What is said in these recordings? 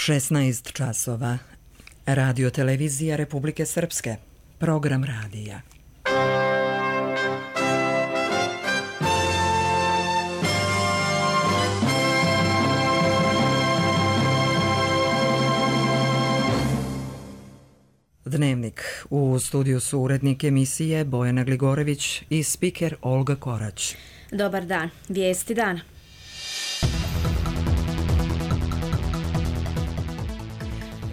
16 časova. Radio televizija Republike Srpske. Program radija. Dnevnik. U studiju su urednik emisije Bojana Gligorević i spiker Olga Korać. Dobar dan. Vijesti dana.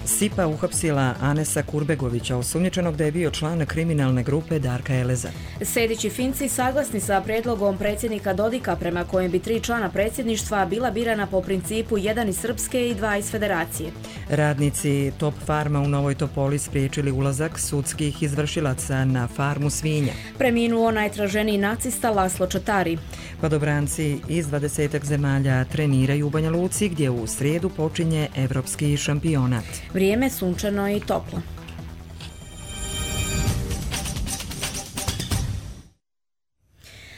SIPA uhapsila Anesa Kurbegovića, osumnjičenog da je bio član kriminalne grupe Darka Eleza. Sejdić i Finci saglasni sa prijedlogom predsjednika Dodika prema kojem bi 3 člana predsjedništva bila birana po principu 1 iz Srpske i 2 iz Federacije. Radnici Top Farma u Novoj Topoli spriječili ulazak sudskih izvršilaca na farmu svinja. Preminuo najtraženiji nacista Laslo Čatari. Padobranci iz 20 zemalja treniraju u Banja Luci, gdje u srijedu počinje evropski šampionat. Vrijeme sunčano i toplo.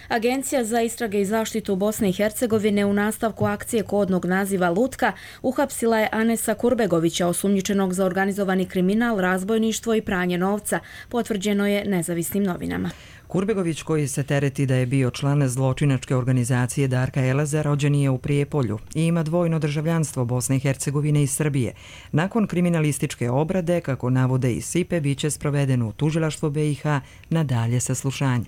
Agencija za istrage i zaštitu Bosne i Hercegovine u nastavku akcije kodnog naziva Lutka uhapsila je Anesa Kurbegovića, osumnjičenog za organizovani kriminal, razbojništvo i pranje novca, potvrđeno je nezavisnim novinama. Kurbegović, koji se tereti da je bio član zločinačke organizacije Darka Eleza, rođen je u Prijepolju i ima dvojno državljanstvo Bosne i Hercegovine i Srbije. Nakon kriminalističke obrade, kako navode i SIPE, biće sproveden u tužilaštvo BiH na dalje saslušanje.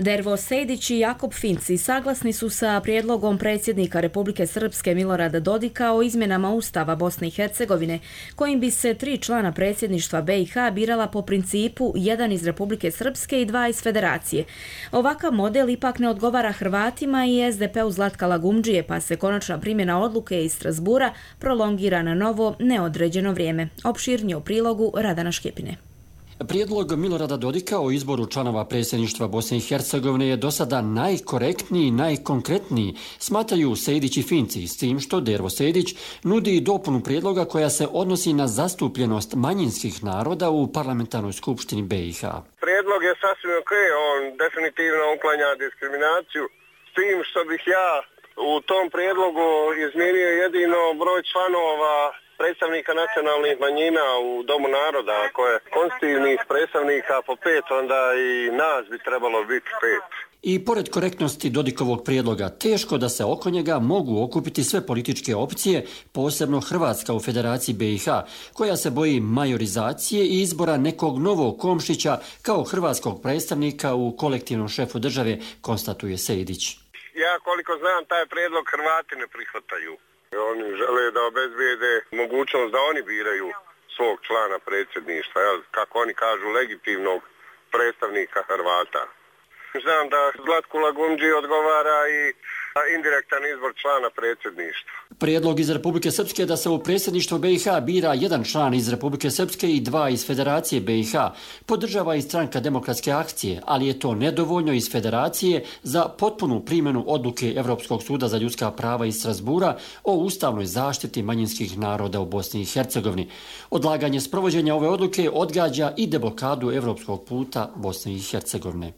Dervo Sejdić i Jakob Finci saglasni su sa prijedlogom predsjednika Republike Srpske Milorada Dodika o izmjenama Ustava Bosne i Hercegovine, kojim bi se 3 člana predsjedništva BiH birala po principu 1 iz Republike Srpske i 2 iz Federacije. Ovakav model ipak ne odgovara Hrvatima i SDP-u Zlatka Lagumdžije, pa se konačna primjena odluke iz Strasbura prolongira na novo neodređeno vrijeme. Opširnije u prilogu Radana Škipine. Prijedlog Milorada Dodika o izboru članova predsjedništva Bosne i Hercegovine je do sada najkorektniji i najkonkretniji, smatraju Sejdić i Finci, s tim što Dervo Sejdić nudi dopunu prijedloga koja se odnosi na zastupljenost manjinskih naroda u parlamentarnoj skupštini BiH. Prijedlog je sasvim ok, on definitivno uklanja diskriminaciju, s tim što bih ja u tom prijedlogu izmijenio jedino broj članova predstavnika nacionalnih manjina u Domu naroda. Ako je konstitutivnih predstavnika po 5, onda i nas bi trebalo biti 5. I pored korektnosti Dodikovog prijedloga, teško da se oko njega mogu okupiti sve političke opcije, posebno Hrvatska u Federaciji BiH, koja se boji majorizacije i izbora nekog novog Komšića kao hrvatskog predstavnika u kolektivnom šefu države, konstatuje Sejdić. Ja koliko znam, taj prijedlog Hrvati ne prihvataju. Oni žele da obezbijede mogućnost da oni biraju svog člana predsjedništva, kako oni kažu, legitimnog predstavnika Hrvata. Znam da Zlatku Lagumdži odgovara i indirektan izbor člana predsjedništva. Prijedlog iz Republike Srpske da se u predsjedništvo BiH bira 1 član iz Republike Srpske i 2 iz Federacije BiH podržava i Stranka demokratske akcije, ali je to nedovoljno iz Federacije za potpunu primjenu odluke Evropskog suda za ljudska prava iz Strasbura o ustavnoj zaštiti manjinskih naroda u Bosni i Hercegovini. Odlaganje sprovođenja ove odluke odgađa i deblokadu evropskog puta Bosne i Hercegovine.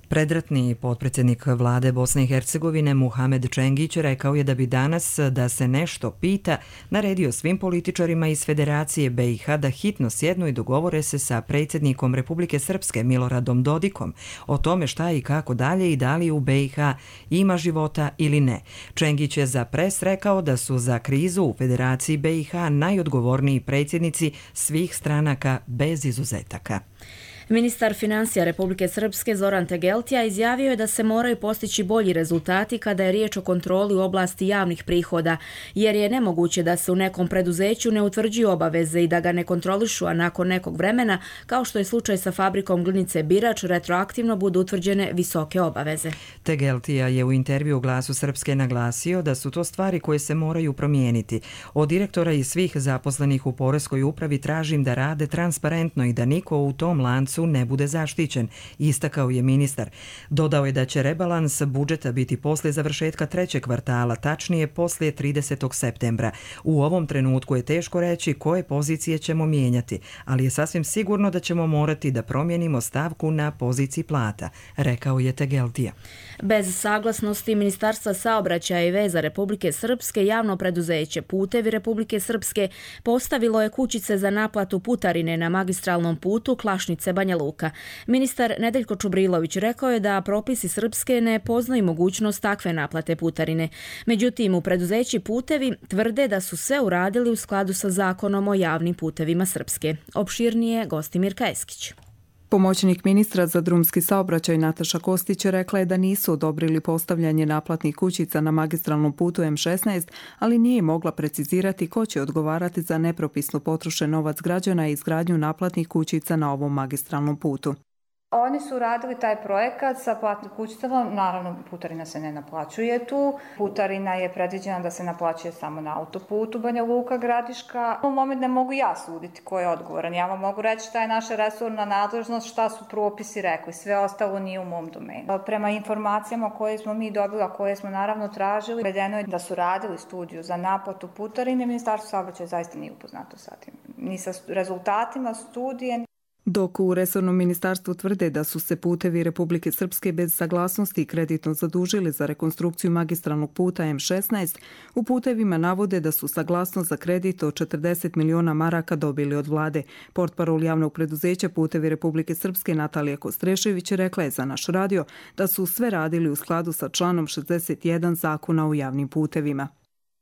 Predratni potpredsjednik vlade Bosne i Hercegovine Muhamed Čengić rekao je da bi danas, da se nešto pita, naredio svim političarima iz Federacije BiH da hitno sjednu i dogovore se sa predsjednikom Republike Srpske Miloradom Dodikom o tome šta i kako dalje i da li u BiH ima života ili ne. Čengić je za Pres rekao da su za krizu u Federaciji BiH najodgovorniji predsjednici svih stranaka bez izuzetaka. Ministar financija Republike Srpske Zoran Tegeltija izjavio je da se moraju postići bolji rezultati kada je riječ o kontroli u oblasti javnih prihoda, jer je nemoguće da se u nekom preduzeću ne utvrđuju obaveze i da ga ne kontrolišu, a nakon nekog vremena, kao što je slučaj sa fabrikom glinice Birač, retroaktivno budu utvrđene visoke obaveze. Tegeltija je u intervju Glasu Srpske naglasio da su to stvari koje se moraju promijeniti. Od direktora i svih zaposlenih u poreskoj upravi tražim da rade transparentno i da niko u tom lancu rebalansu ne bude zaštićen, istakao je ministar. Dodao je da će rebalans budžeta biti poslije završetka trećeg kvartala, tačnije poslije 30. septembra. U ovom trenutku je teško reći koje pozicije ćemo mijenjati, ali je sasvim sigurno da ćemo morati da promijenimo stavku na poziciji plata, rekao je Tegeltija. Bez saglasnosti Ministarstva saobraćaja i veza Republike Srpske, javno preduzeće Putevi Republike Srpske postavilo je kućice za naplatu putarine na magistralnom putu Klašnice-Banja Luka. Ministar Nedeljko Čubrilović rekao je da propisi Srpske ne poznaju mogućnost takve naplate putarine. Međutim, u preduzeći Putevi tvrde da su sve uradili u skladu sa zakonom o javnim putevima Srpske. Opširnije Gostimir Kajeskić. Pomoćnik ministra za drumski saobraćaj Nataša Kostić rekla je da nisu odobrili postavljanje naplatnih kućica na magistralnom putu M16, ali nije mogla precizirati ko će odgovarati za nepropisno potrošen novac građana i izgradnju naplatnih kućica na ovom magistralnom putu. Oni su radili taj projekat sa platnim kućicama, naravno putarina se ne naplaćuje tu. Putarina je predviđena da se naplaćuje samo na autoputu Banja Luka Gradiška. U moment ne mogu ja suditi ko je odgovoran. Ja vam mogu reći šta je naša resorna nadležnost, šta su propisi rekli. Sve ostalo nije u mom domenu. Prema informacijama koje smo mi dobili, a koje smo naravno tražili, vedeno je da su radili studiju za naplatu putarine. Ministarstvo saobraćaja zaista nije upoznato sa tim. Ni sa rezultatima studije. Dok u resornom ministarstvu tvrde da su se Putevi Republike Srpske bez saglasnosti kreditno zadužili za rekonstrukciju magistralnog puta M16, u Putevima navode da su saglasnost za kredit od 40 miliona maraka dobili od vlade. Portparol javnog preduzeća Putevi Republike Srpske Natalija Kostrešević rekla je za naš radio da su sve radili u skladu sa članom 61 Zakona o javnim putevima.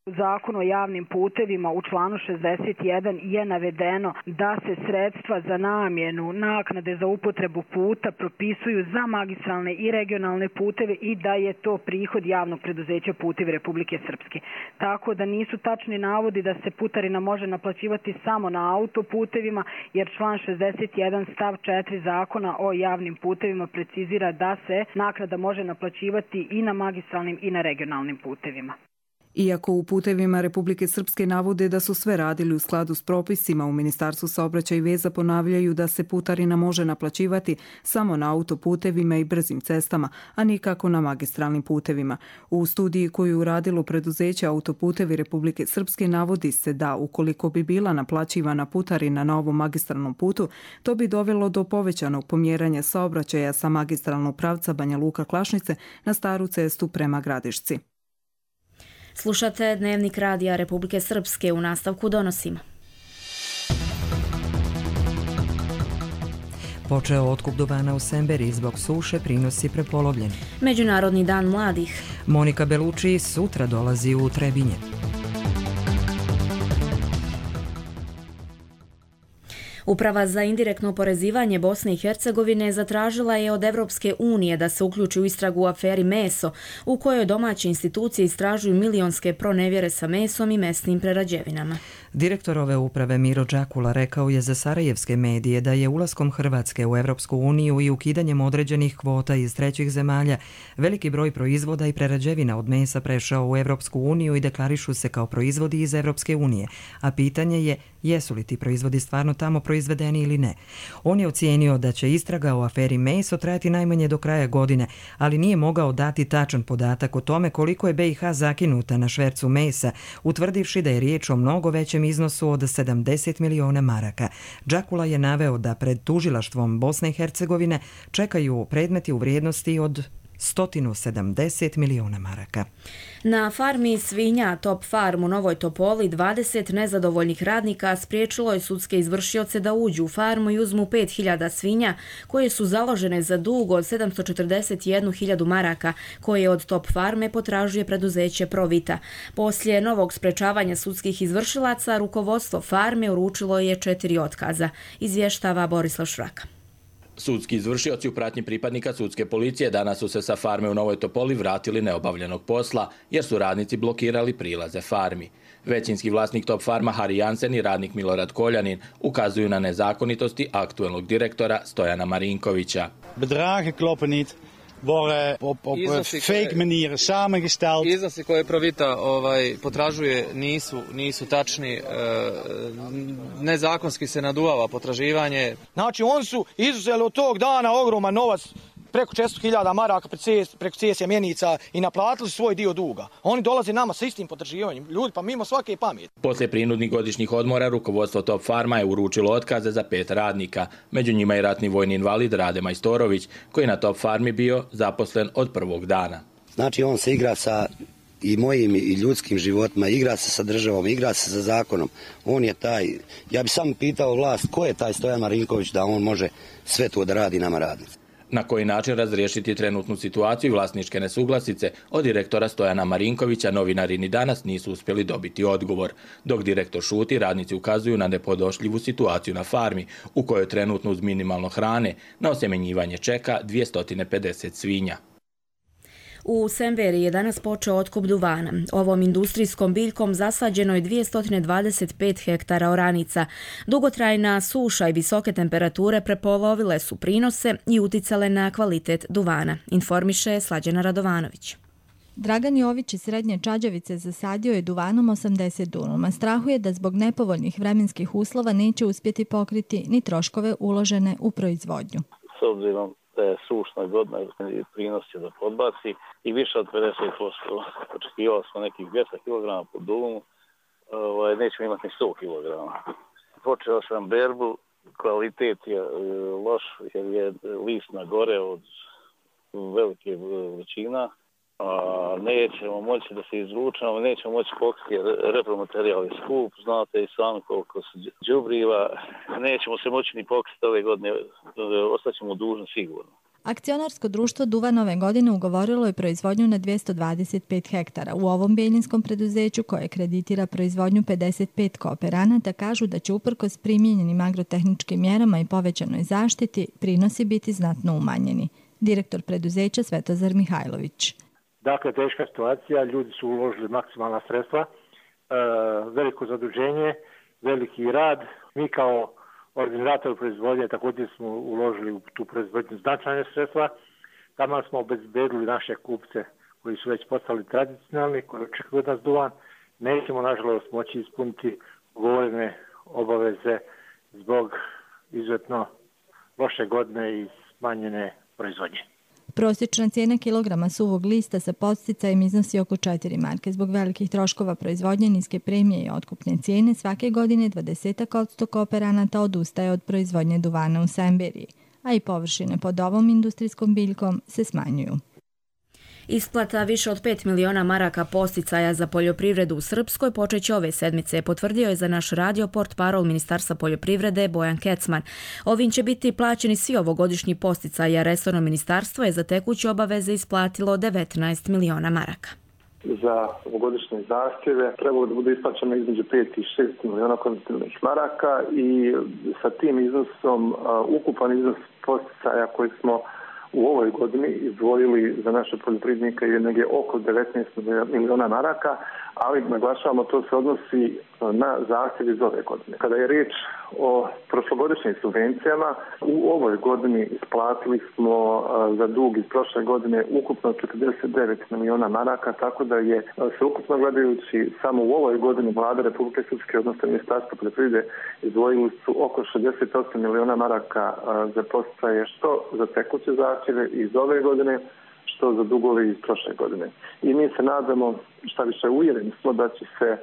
Zakon o javnim putevima u članu 61 je navedeno da se sredstva za namjenu naknade za upotrebu puta propisuju za magistralne i regionalne puteve i da je to prihod javnog preduzeća Putevi Republike Srpske. Tako da nisu tačni navodi da se putarina može naplaćivati samo na autoputevima, jer član 61 stav 4 Zakona o javnim putevima precizira da se naknada može naplaćivati i na magistralnim i na regionalnim putevima. Iako u Putevima Republike Srpske navode da su sve radili u skladu s propisima, u Ministarstvu saobraćaja i veza ponavljaju da se putarina može naplaćivati samo na autoputevima i brzim cestama, a nikako na magistralnim putevima. U studiji koju uradilo preduzeće Autoputevi Republike Srpske navodi se da ukoliko bi bila naplaćivana putarina na ovom magistralnom putu, to bi dovelo do povećanog pomjeranja saobraćaja sa magistralnog pravca Banja Luka Klašnice na staru cestu prema Gradišci. Slušate Dnevnik radija Republike Srpske, u nastavku donosimo. Počeo otkup duvana u Semberi, zbog suše prinosi prepolovljeni. Međunarodni dan mladih. Monika Belucci sutra dolazi u Trebinje. Uprava za indirektno oporezivanje Bosne i Hercegovine zatražila je od Evropske unije da se uključi u istragu u aferi Meso, u kojoj domaće institucije istražuju milionske pronevjere sa mesom i mesnim prerađevinama. Direktor ove uprave Miro Đakula rekao je za sarajevske medije da je ulaskom Hrvatske u Evropsku uniju i ukidanjem određenih kvota iz trećih zemalja veliki broj proizvoda i prerađevina od mesa prešao u Evropsku uniju i deklarišu se kao proizvodi iz Evropske unije, a pitanje je jesu li ti proizvodi stvarno tamo proizvedeni ili ne. On je ocijenio da će istraga o aferi Meso trajati najmanje do kraja godine, ali nije mogao dati tačan podatak o tome koliko je BiH zakinuta na švercu mesa, utvrdivši da je riječ o mnogo većem iznosu od 70 miliona maraka. Đakula je naveo da pred tužilaštvom Bosne i Hercegovine čekaju predmeti u vrijednosti od 170 miliona maraka. Na farmi svinja Top Farm u Novoj Topoli 20 nezadovoljnih radnika spriječilo je sudske izvršioce da uđu u farmu i uzmu 5000 svinja koje su založene za dug od 741.000 maraka koje od Top Farme potražuje preduzeće Provita. Poslije novog sprečavanja sudskih izvršilaca rukovodstvo farme uručilo je 4 otkaza, izvještava Borislav Šraka. Sudski izvršioci u pratnji pripadnika sudske policije danas su se sa farme u Novoj Topoli vratili neobavljenog posla jer su radnici blokirali prilaze farmi. Većinski vlasnik Top Farma Hari Jansen i radnik Milorad Koljanin ukazuju na nezakonitosti aktuelnog direktora Stojana Marinkovića. Bedragen kloppen niet. worden op fake manieren samengesteld. Iznosi koje Provita potražuje nisu tačni, nezakonski se naduvava potraživanje. Znači, oni su izuzeli od tog dana ogroman novac, preko 400.000 maraka preko cesija mjenica i naplatili svoj dio duga. Oni dolaze nama sa istim potraživanjem. Ljudi, pa mimo svake pameti. Poslije prinudnih godišnjih odmora, rukovodstvo Top Farma je uručilo otkaze za 5 radnika. Među njima i ratni vojni invalid Rade Majstorović, koji je na Top Farmi bio zaposlen od prvog dana. Znači, on se igra sa i mojim i ljudskim životima, igra se sa državom, igra se sa zakonom. On je taj, ja bih samo pitao vlast, ko je taj Stojan Marinković da on može sve to da radi nama radnici. Na koji način razriješiti trenutnu situaciju i vlasničke nesuglasice, od direktora Stojana Marinkovića novinari ni danas nisu uspjeli dobiti odgovor. Dok direktor šuti, radnici ukazuju na nepodnošljivu situaciju na farmi, u kojoj trenutno uz minimalno hrane na osjemenjivanje čeka 250 svinja. U Semberi je danas počeo otkup duvana. Ovom industrijskom biljkom zasađeno je 225 hektara oranica. Dugotrajna suša i visoke temperature prepolovile su prinose i uticale na kvalitet duvana, informiše Slađana Radovanović. Dragan Jović iz Srednje Čađavice zasadio je duvanom 80 dunuma. Strahuje da zbog nepovoljnih vremenskih uslova neće uspjeti pokriti ni troškove uložene u proizvodnju. S obzirom da je sušna godina i prinos će da podbaci i više od 50%. Očekivali smo nekih 200 kg po dumu, nećemo imati ni 100 kg. Počeo sam berbu, kvalitet je loš jer je list na gore od velike vrućina. Nećemo moći da se izručamo, nećemo moći pokriti jer repromaterijal je skup, znate i sami koliko se đubriva, nećemo se moći ni pokriti ove godine, ostaćemo dužni sigurno. Akcionarsko društvo Duvan ove godine ugovorilo je proizvodnju na 225 hektara. U ovom beljinskom preduzeću koje kreditira proizvodnju 55 kooperanata kažu da će uprkos primijenjenim agrotehničkim mjerama i povećanoj zaštiti prinosi biti znatno umanjeni. Direktor preduzeća Svetozar Mihajlović. Dakle, teška situacija, ljudi su uložili maksimalna sredstva, veliko zaduženje, veliki rad. Mi kao organizator proizvodnje također smo uložili u tu proizvodnju značajne sredstva. Tamo smo obezbedili naše kupce koji su već postali tradicionalni, koji očekuju od nas duvan. Nećemo, nažalost, moći ispuniti ugovorene obaveze zbog izuzetno loše godine i smanjene proizvodnje. Prosječna cijena kilograma suvog lista sa podsticajem iznosi oko 4 marke. Zbog velikih troškova proizvodnje, niske premije i otkupne cijene, svake godine 20% kooperanata odustaje od proizvodnje duvana u Semberiji, a i površine pod ovom industrijskom biljkom se smanjuju. Isplata više od 5 miliona maraka podsticaja za poljoprivredu u Srpskoj počeće ove sedmice, potvrdio je za naš radio portparol Ministarstva poljoprivrede Bojan Kecman. Ovim će biti plaćeni svi ovogodišnji podsticaji, a resorno ministarstvo je za tekuće obaveze isplatilo 19 miliona maraka. Za ovogodišnje zahtjeve trebalo da bude isplaćeno između 5 i 6 miliona konvertibilnih maraka i sa tim iznosom ukupan iznos podsticaja koji smo u ovoj godini izdvojili za naše poljoprivrednike je negdje oko 19 miliona maraka, ali naglašavamo to se odnosi na zahtjev iz ove godine. Kada je riječ o prošlogodišnjim subvencijama, u ovoj godini isplatili smo za dug iz prošle godine ukupno 49 miliona maraka, tako da je se ukupno gledajući samo u ovoj godini Vlada Republike Srpske, odnosno Ministarstvo poljoprivrede, izdvojili su oko 68 miliona maraka za podsticaje, što za tekuće zahtjeve iz ove godine, što za dugove iz prošle godine. I mi se nadamo, šta više uvjereni smo da će se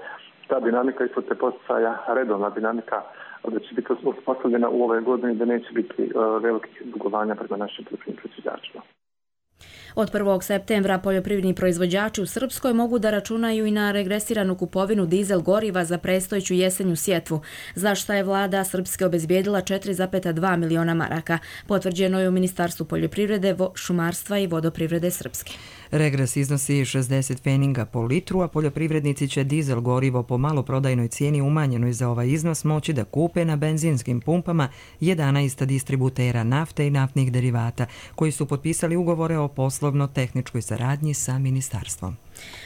ta dinamika isplate podsticaja, redovna dinamika, da će biti uspostavljena u ovoj godini, da neće biti velikih dugovanja prema našim poljoprivrednim proizvođačima. Od 1. septembra poljoprivredni proizvođači u Srpskoj mogu da računaju i na regresiranu kupovinu dizel goriva za predstojeću jesenju sjetvu, za što je vlada Srpske obezbijedila 4,2 miliona maraka. Potvrđeno je u Ministarstvu poljoprivrede, šumarstva i vodoprivrede Srpske. Regres iznosi 60 pfeninga po litru, a poljoprivrednici će dizel gorivo po maloprodajnoj cijeni umanjenoj za ovaj iznos moći da kupe na benzinskim pumpama 11 distributera nafte i naftnih derivata, koji su potpisali ugovore o poslovima poslovno-tehničkoj saradnji sa ministarstvom.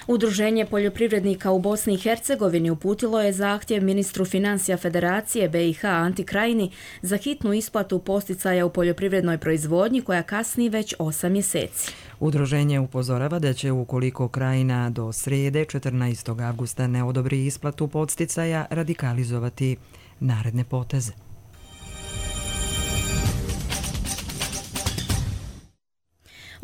Udruženje poljoprivrednika u Bosni i Hercegovini uputilo je zahtjev ministru financija Federacije BiH Anti Krajini za hitnu isplatu posticaja u poljoprivrednoj proizvodnji koja kasni već 8 mjeseci. Udruženje upozorava da će, ukoliko Krajina do srijede 14. avgusta ne odobri isplatu podsticaja, radikalizovati naredne poteze.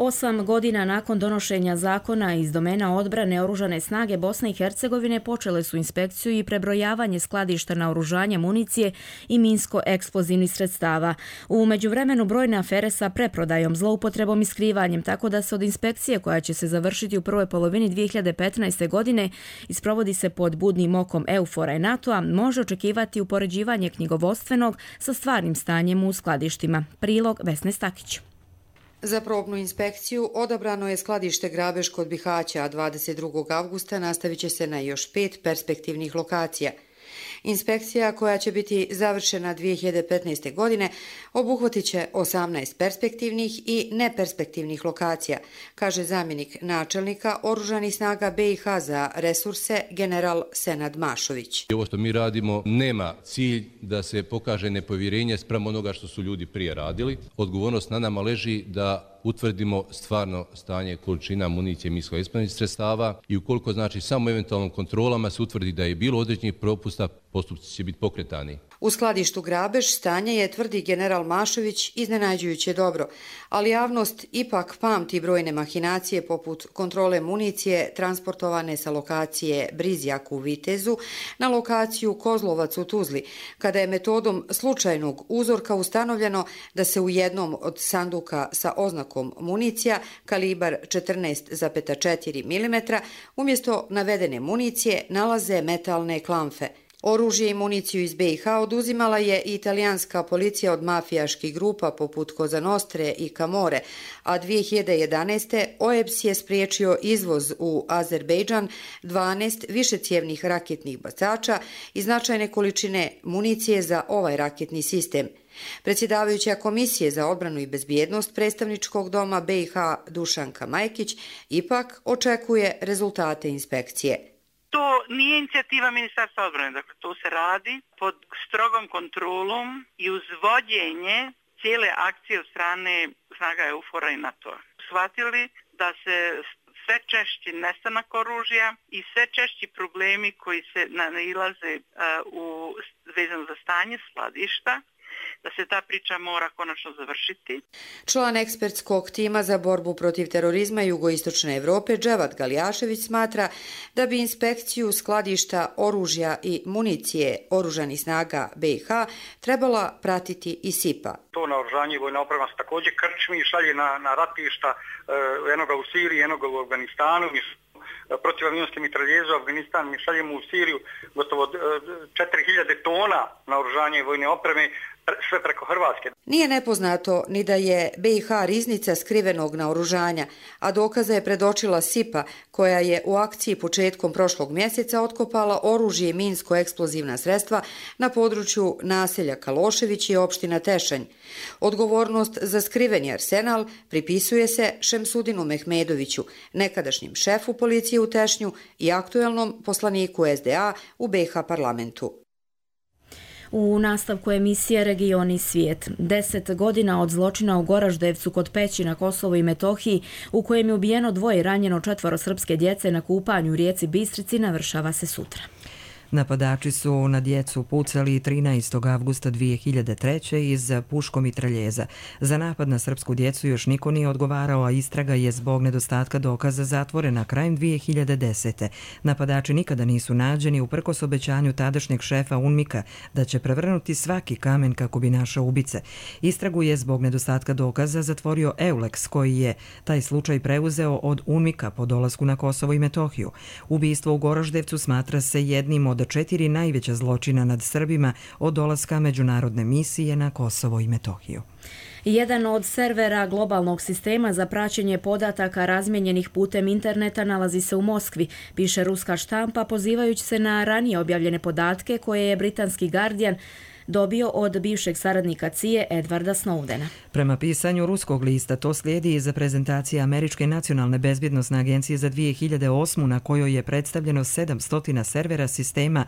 Osam godina nakon donošenja zakona iz domena odbrane, Oružane snage Bosne i Hercegovine počele su inspekciju i prebrojavanje skladišta naoružanja, municije i minsko-eksplozivnih sredstava. U međuvremenu brojne afere sa preprodajom, zloupotrebom i skrivanjem, tako da se od inspekcije koja će se završiti u prvoj polovini 2015. godine i sprovodi se pod budnim okom EUFOR-a i NATO-a, može očekivati upoređivanje knjigovodstvenog sa stvarnim stanjem u skladištima. Prilog Vesne Stakić. Za probnu inspekciju odabrano je skladište Grabež kod Bihaća, a 22. avgusta nastavit će se na još 5 perspektivnih lokacija. Inspekcija, koja će biti završena 2015. godine, obuhvatit će 18 perspektivnih i neperspektivnih lokacija, kaže zamjenik načelnika Oružanih snaga BiH za resurse general Senad Mašović. Ovo što mi radimo nema cilj da se pokaže nepovjerenje spram onoga što su ljudi prije radili. Odgovornost na nama leži da utvrdimo stvarno stanje količina municije minsko-eksplozivnih sredstava i ukoliko znači samo eventualnom kontrolama se utvrdi da je bilo određenih propusta, postupci će biti pokretani. U skladištu Grabež stanje je, tvrdi general Mašović, iznenađujuće dobro, ali javnost ipak pamti brojne mahinacije poput kontrole municije transportovane sa lokacije Brizjak u Vitezu na lokaciju Kozlovac u Tuzli, kada je metodom slučajnog uzorka ustanovljeno da se u jednom od sanduka sa oznakom municija kalibar 14,4 mm umjesto navedene municije nalaze metalne klamfe. Oružje i municiju iz BiH oduzimala je i italijanska policija od mafijaških grupa poput Cosa Nostre i Camore, a 2011. OEBS je spriječio izvoz u Azerbejdžan 12 višecijevnih raketnih bacača i značajne količine municije za ovaj raketni sistem. Predsjedavajuća Komisije za odbranu i bezbjednost predstavničkog doma BiH Dušanka Majkić ipak očekuje rezultate inspekcije. To nije inicijativa Ministarstva odbrane, dakle to se radi pod strogom kontrolom i uz vođenje cijele akcije od strane snaga EUFOR-a i NATO-a. Shvatili da se sve češći nestanak oružja i sve češći problemi koji se nailaze vezano za stanje skladišta, da se ta priča mora konačno završiti. Član ekspertskog tima za borbu protiv terorizma Jugoistočne Evrope Dževat Galjašević smatra da bi inspekciju skladišta oružja i municije Oružanih snaga BiH trebala pratiti i SIPA. To naoružanje i vojna oprema se također krčmi i šalje na ratišta, jednoga u Siriji, jednoga u Afganistanu. Protivavionske mitraljeze u Afganistan, mi šaljemo u Siriju gotovo 4000 tona naoružanja i vojne opreme, sve preko Hrvatske. Nije nepoznato ni da je BiH riznica skrivenog naoružanja, a dokaza je predočila SIPA, koja je u akciji početkom prošlog mjeseca otkopala oružje i minsko-eksplozivna sredstva na području naselja Kalošević i opština Tešanj. Odgovornost za skriveni arsenal pripisuje se Šemsudinu Mehmedoviću, nekadašnjem šefu policije u Tešnju i aktuelnom poslaniku SDA u BiH parlamentu. U nastavku emisije Region i svijet. 10 godina od zločina u Goraždevcu kod Peći na Kosovu i Metohiji, u kojem je ubijeno 2 i ranjeno 4 srpske djece na kupanju u rijeci Bistrici, navršava se sutra. Napadači su na djecu pucali 13. avgusta 2003. iz puškomitraljeza. Za napad na srpsku djecu još niko nije odgovarao, a istraga je zbog nedostatka dokaza zatvorena krajem 2010. Napadači nikada nisu nađeni uprkos obećanju tadašnjeg šefa UNMIK-a da će prevrnuti svaki kamen kako bi našao ubice. Istragu je zbog nedostatka dokaza zatvorio EULEX, koji je taj slučaj preuzeo od UNMIK-a po dolasku na Kosovo i Metohiju. Ubistvo u Goraždevcu smatra se jednim od 4 najveća zločina nad Srbima od dolaska međunarodne misije na Kosovo i Metohiju. Jedan od servera globalnog sistema za praćenje podataka razmijenjenih putem interneta nalazi se u Moskvi, piše ruska štampa pozivajući se na ranije objavljene podatke koje je britanski Guardian dobio od bivšeg saradnika CIA Edwarda Snowdena. Prema pisanju ruskog lista to slijedi iza prezentacije Američke nacionalne bezbjednosne agencije za 2008. na kojoj je predstavljeno 700 servera sistema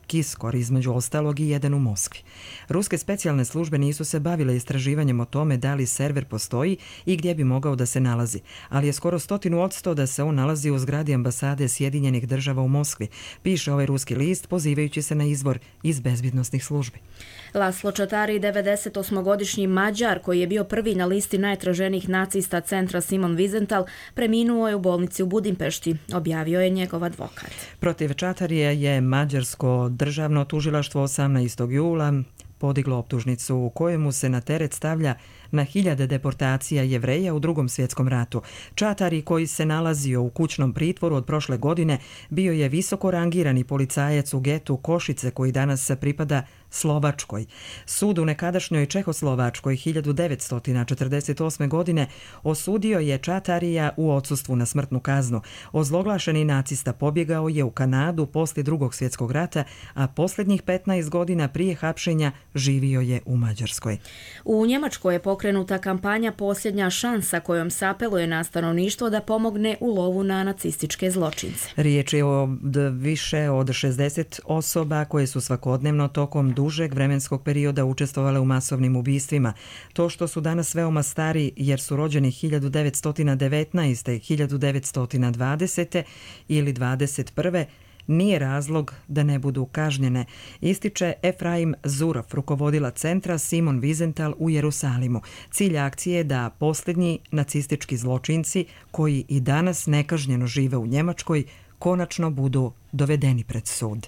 Kiskor, između ostalog i jedan u Moskvi. Ruske specijalne službe nisu se bavile istraživanjem o tome da li server postoji i gdje bi mogao da se nalazi, ali je skoro 100% da se on nalazi u zgradi ambasade Sjedinjenih država u Moskvi, piše ovaj ruski list pozivajući se na izvor iz bezbjednosnih službi. Laslo Čatari, 98-godišnji Mađar koji je bio prvi na listi najtraženijih nacista centra Simon Wiesenthal, preminuo je u bolnici u Budimpešti, objavio je njegov advokat. Protiv Čatarija je mađarsko državno tužilaštvo 18. jula podiglo optužnicu u kojemu se na teret stavlja na hiljade deportacija Jevreja u Drugom svjetskom ratu. Čatari, koji se nalazio u kućnom pritvoru od prošle godine, bio je visoko rangirani policajac u getu Košice koji danas pripada Slovačkoj. Sud u nekadašnjoj Čehoslovačkoj 1948. godine osudio je Čatarija u odsustvu na smrtnu kaznu. Ozloglašeni nacista pobjegao je u Kanadu poslije Drugog svjetskog rata, a posljednjih 15 godina prije hapšenja živio je u Mađarskoj. U Njemačkoj je pokrenuta kampanja Posljednja šansa kojom se apeluje na stanovništvo da pomogne u lovu na nacističke zločince. Riječ je o više od 60 osoba koje su svakodnevno tokom dužeg vremenskog perioda učestvovale u masovnim ubistvima. To što su danas veoma stari jer su rođeni 1919. 1920. ili 21. nije razlog da ne budu kažnjene, ističe Efraim Zurov, rukovodila centra Simon Wiesenthal u Jerusalimu. Cilj akcije je da posljednji nacistički zločinci koji i danas nekažnjeno žive u Njemačkoj konačno budu dovedeni pred sud.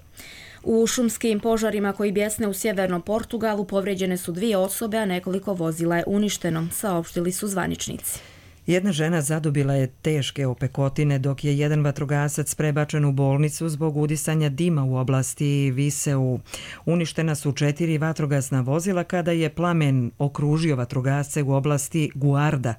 U šumskim požarima koji bjesne u sjevernom Portugalu povrijeđene su 2 osobe, a nekoliko vozila je uništeno, saopštili su zvaničnici. Jedna žena zadobila je teške opekotine dok je jedan vatrogasac prebačen u bolnicu zbog udisanja dima u oblasti Viseu. Uništena su 4 vatrogasna vozila kada je plamen okružio vatrogasce u oblasti Guarda.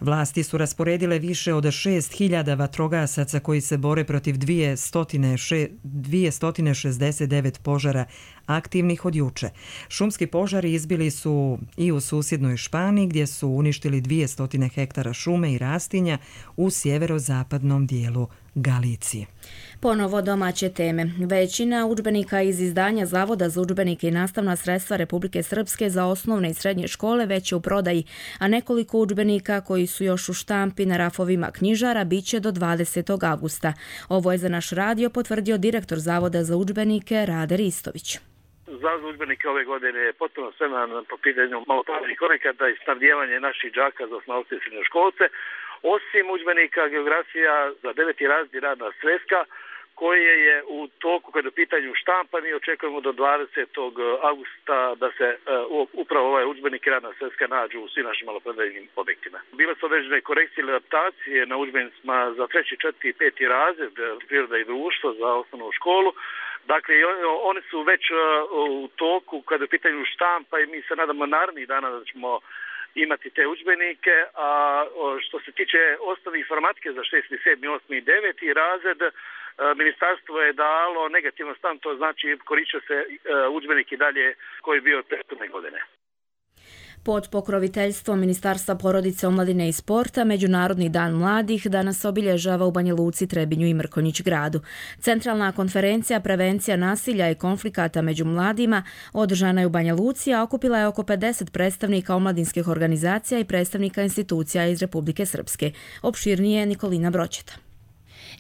Vlasti su rasporedile više od 6.000 vatrogasaca koji se bore protiv 269 požara aktivnih od juče. Šumski požari izbili su i u susjednoj Španiji gdje su uništili 200 hektara šume i rastinja u sjeverozapadnom dijelu Galicije. Ponovo domaće teme. Većina udžbenika iz izdanja Zavoda za udžbenike i nastavna sredstva Republike Srpske za osnovne i srednje škole već je u prodaji, a nekoliko udžbenika koji su još u štampi na rafovima knjižara biće do 20. avgusta. Ovo je za naš radio potvrdio direktor Zavoda za udžbenike Rade Ristović. Zavod za udžbenike ove godine je potpuno spreman po pitanju malopravnih konekata i snabdijevanje naših đaka za osnovce i srednjoškolce. Osim udžbenika geografija za 9. razred radna sveska, koje je u toku kada je u pitanju štampa, mi očekujemo do 20. augusta da se upravo ovaj udžbenik i radna sveska nađu u svim našim maloprodajnim objektima. Bile su određene korekcije ili adaptacije na udžbenicima za 3., 4. i 5. razred priroda i društvo za osnovnu školu. Dakle, oni su već u toku kada je u pitanju štampa i mi se nadamo narednih dana da ćemo imati te udžbenike, a što se tiče osnovne informatike za 6., 7., 8. i 9. razred, ministarstvo je dalo negativan stav, to znači koristio se udžbenik i dalje koji je bio od prethodne godine. Pod pokroviteljstvom Ministarstva porodice, omladine i sporta, Međunarodni dan mladih danas obilježava u Banja Luci, Trebinju i Mrkonjić gradu. Centralna konferencija Prevencija nasilja i konflikata među mladima održana je u Banja Luci, a okupila je oko 50 predstavnika omladinskih organizacija i predstavnika institucija iz Republike Srpske. Opširnije Nikolina Broćeta.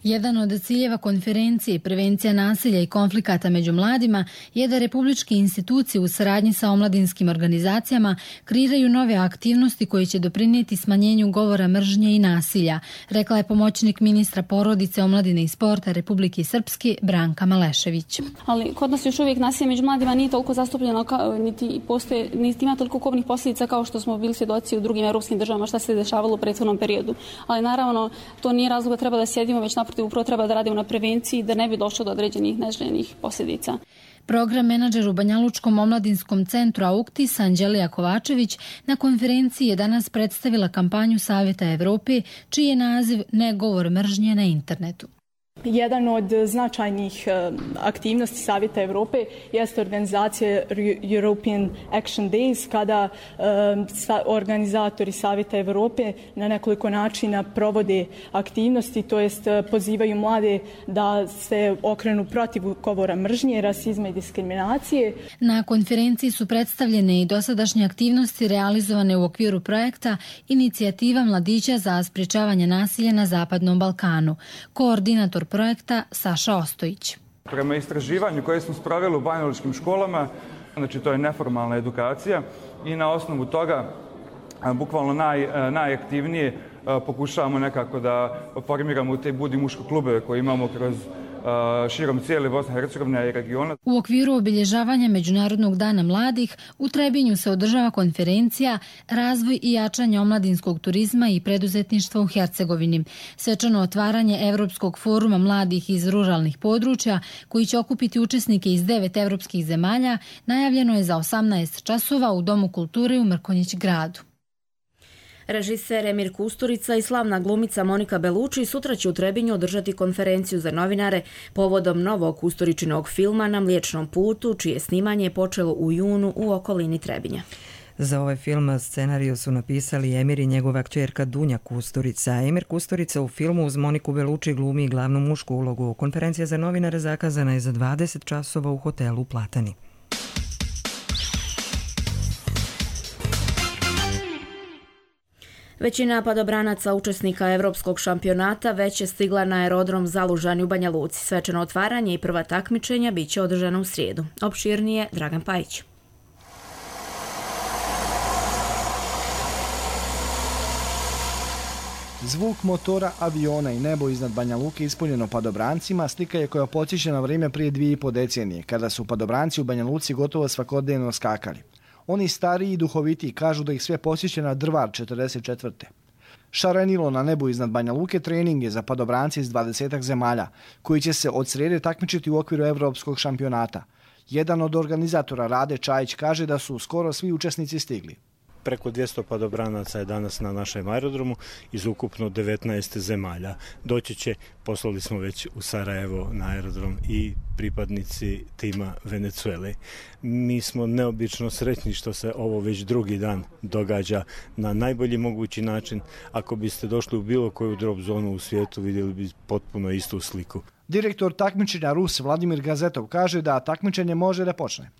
Jedan od ciljeva konferencije Prevencija nasilja i konflikata među mladima je da republičke institucije u saradnji sa omladinskim organizacijama kreiraju nove aktivnosti koje će doprinijeti smanjenju govora mržnje i nasilja, rekla je pomoćnik ministra porodice, omladine i sporta Republike Srpske Branka Malešević. Ali kod nas još uvijek nasilje među mladima nije toliko zastupljeno, niti ima toliko kobnih posljedica kao što smo bili svjedoci u drugim europskim državama šta se dešavalo u prethodnom periodu. Ali naravno to nije razlog da treba da sjedimo, već naprotiv upravo treba da radimo na prevenciji da ne bi došlo do određenih neželjenih posljedica. Program menadžer u Banjalučkom omladinskom centru Auktis Anđelija Kovačević na konferenciji je danas predstavila kampanju Savjeta Evrope čiji je naziv Ne govor mržnje na internetu. Jedan od značajnih aktivnosti Savjeta Europe jeste organizacija European Action Days, kada organizatori Savjeta Europe na nekoliko načina provode aktivnosti, to jest pozivaju mlade da se okrenu protiv govora mržnje, rasizma i diskriminacije. Na konferenciji su predstavljene i dosadašnje aktivnosti realizovane u okviru projekta Inicijativa mladića za sprječavanje nasilja na Zapadnom Balkanu. Koordinator projekta Saša Ostojić. Prema istraživanju koje smo sproveli u banjalučkim školama, znači to je neformalna edukacija i na osnovu toga bukvalno najaktivnije pokušavamo nekako da formiramo te budi muško klubove koje imamo kroz širom cijele Bosne i Hercegovine i regiona. U okviru obilježavanja Međunarodnog dana mladih u Trebinju se održava konferencija Razvoj i jačanje omladinskog turizma i preduzetništva u Hercegovini. Svečano otvaranje Evropskog foruma mladih iz ruralnih područja, koji će okupiti učesnike iz 9 evropskih zemalja, najavljeno je za 18 časova u Domu kulture u Mrkonjić gradu. Režiser Emir Kusturica i slavna glumica Monika Bellucci sutra će u Trebinju održati konferenciju za novinare povodom novog Kusturičinog filma Na Mliječnom putu, čije snimanje je počelo u junu u okolini Trebinja. Za ovaj film scenariju su napisali Emir i njegova kćerka Dunja Kusturica. Emir Kusturica u filmu uz Moniku Bellucci glumi glavnu mušku ulogu. Konferencija za novinare zakazana je za 20 časova u hotelu Platani. Većina padobranaca učesnika Evropskog šampionata već je stigla na aerodrom Zalužani u Banja Luci. Svečano otvaranje i prva takmičenja bit će održana u srijedu. Opširnije Dragan Pajić. Zvuk motora, aviona i nebo iznad Banja Luke ispunjeno padobrancima slika je koja podsjeća na vrijeme prije 2,5 decenije, kada su padobranci u Banja Luci gotovo svakodnevno skakali. Oni stariji i duhovitiji kažu da ih sve posjeća na Drvar 44. Šarenilo na nebu iznad Banja Luke trening je za padobrance iz 20 zemalja, koji će se od srijede takmičiti u okviru Evropskog šampionata. Jedan od organizatora, Rade Čajić, kaže da su skoro svi učesnici stigli. Preko 200 padobranaca je danas na našem aerodromu iz ukupno 19 zemalja. Doći će, poslali smo već u Sarajevo na aerodrom i pripadnici tima Venezuele. Mi smo neobično sretni što se ovo već drugi dan događa na najbolji mogući način. Ako biste došli u bilo koju drop zonu u svijetu, vidjeli bi potpuno istu sliku. Direktor takmičenja Rus Vladimir Gazetov kaže da takmičenje može da počne.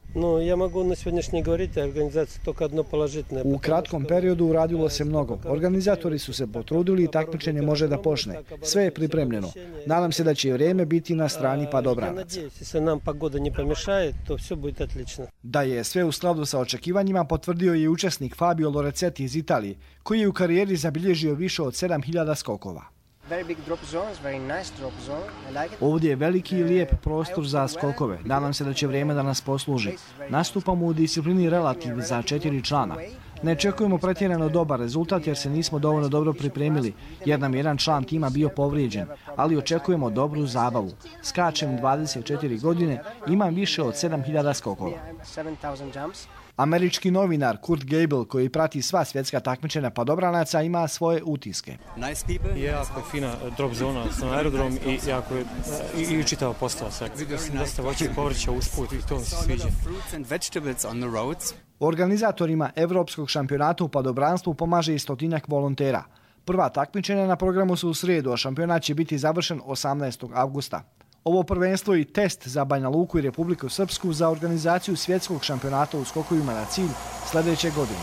U kratkom periodu uradilo se mnogo. Organizatori su se potrudili i takmičenje može da počne. Sve je pripremljeno. Nadam se da će vrijeme biti na strani padobranaca. Da je sve u skladu sa očekivanjima potvrdio je učesnik Fabio Lorenzetti iz Italije, koji je u karijeri zabilježio više od 7000 skokova. Ovdje je veliki i lijep prostor za skokove. Nadam se da će vrijeme da nas posluži. Nastupamo u disciplini relativ za 4 člana. Ne očekujemo pretjerano dobar rezultat jer se nismo dovoljno dobro pripremili, jer nam jedan član tima bio povrijeđen, ali očekujemo dobru zabavu. Skačem 24 godine, imam više od 7000 skokova. Američki novinar Kurt Gable, koji prati sva svjetska takmičenja padobranaca, ima svoje utiske. Jako je fina drop zona na aerodrom i jako je i čitava postava. Vidio sam dosta voća i povrća usput i to mi se sviđa. Organizatorima Evropskog šampionata u padobranstvu pomaže i 100 volontera. Prva takmičenja na programu su u srijedu, a šampionat će biti završen 18. avgusta. Ovo prvenstvo i test za Banja Luku i Republiku Srpsku za organizaciju svjetskog šampionata u skokovima na cilj sljedeće godine.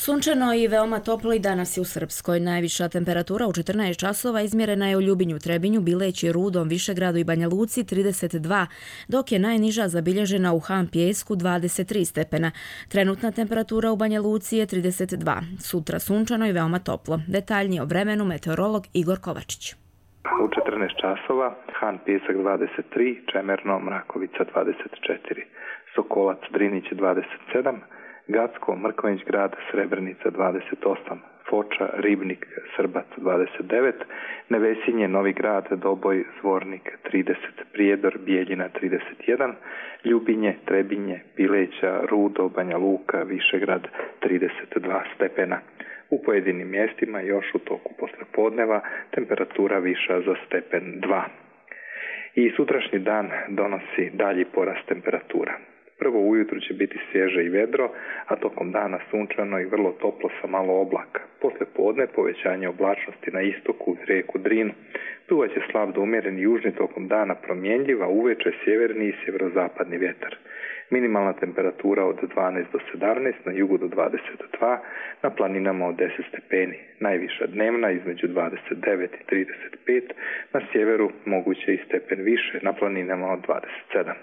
Sunčano i veoma toplo i danas je u Srpskoj. Najviša temperatura u 14 časova izmjerena je u Ljubinju, Trebinju, Bileći, Rudom, Višegradu i Banja Luci 32, dok je najniža zabilježena u Han Pijesku 23 stepena. Trenutna temperatura u Banja Luci je 32. Sutra sunčano i veoma toplo. Detaljnije o vremenu meteorolog Igor Kovačić. U 14 časova Han Pijesak 23, Čemerno, Mrakovica 24, Sokolac, Drinić 27, Gacko, Mrkonjić grad, Srebrenica 28, Foča, Ribnik, Srbac 29, Nevesinje, Novi Grad, Doboj, Zvornik 30, Prijedor, Bijeljina 31, Ljubinje, Trebinje, Pileća, Rudo, Banja Luka, Višegrad 32 stepena. U pojedinim mjestima još u toku poslijepodneva temperatura viša za stepen 2. I sutrašnji dan donosi dalji porast temperatura. Prvo ujutru će biti svježe i vedro, a tokom dana sunčano i vrlo toplo sa malo oblaka. Poslije podne povećanje oblačnosti na istoku uz rijeku Drinu. Duvat će slab do umjeren južni tokom dana promjenjiva, uveče sjeverni i sjeverozapadni vjetar. Minimalna temperatura od 12 do 17, na jugu do 22, na planinama od 10 stepeni. Najviša dnevna između 29 i 35, na sjeveru moguće i stepen više, na planinama od 27.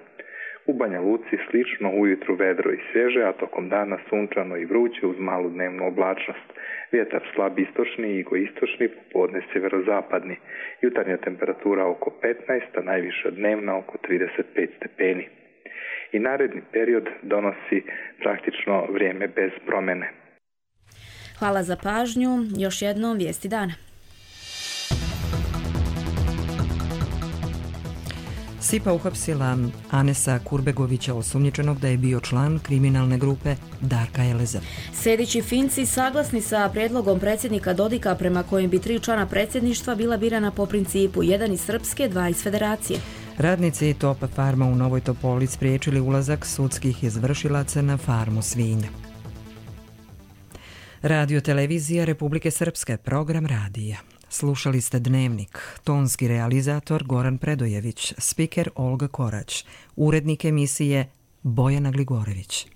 U Banja Luci slično, ujutru vedro i svježe, a tokom dana sunčano i vruće uz malu dnevnu oblačnost. Vjetar slab istočni i jugoistočni, popodne sjeverozapadni. Jutarnja temperatura oko 15, a najviša dnevna oko 35 stepeni. I naredni period donosi praktično vrijeme bez promjene. Hvala za pažnju. Još jednom vijesti dana. SIPA uhapsila Anesa Kurbegovića, osumnjičenog da je bio član kriminalne grupe Darka Eleza. Sedići Finci saglasni sa prijedlogom predsjednika Dodika prema kojem bi 3 člana predsjedništva bila birana po principu 1 iz Srpske, 2 iz Federacije. Radnici Top Farma u Novoj Topoli spriječili ulazak sudskih izvršilaca na farmu svinja. Radio televizija Republike Srpske, program radija. Slušali ste Dnevnik, tonski realizator Goran Predojević, spiker Olga Korać, urednik emisije Bojana Gligorević.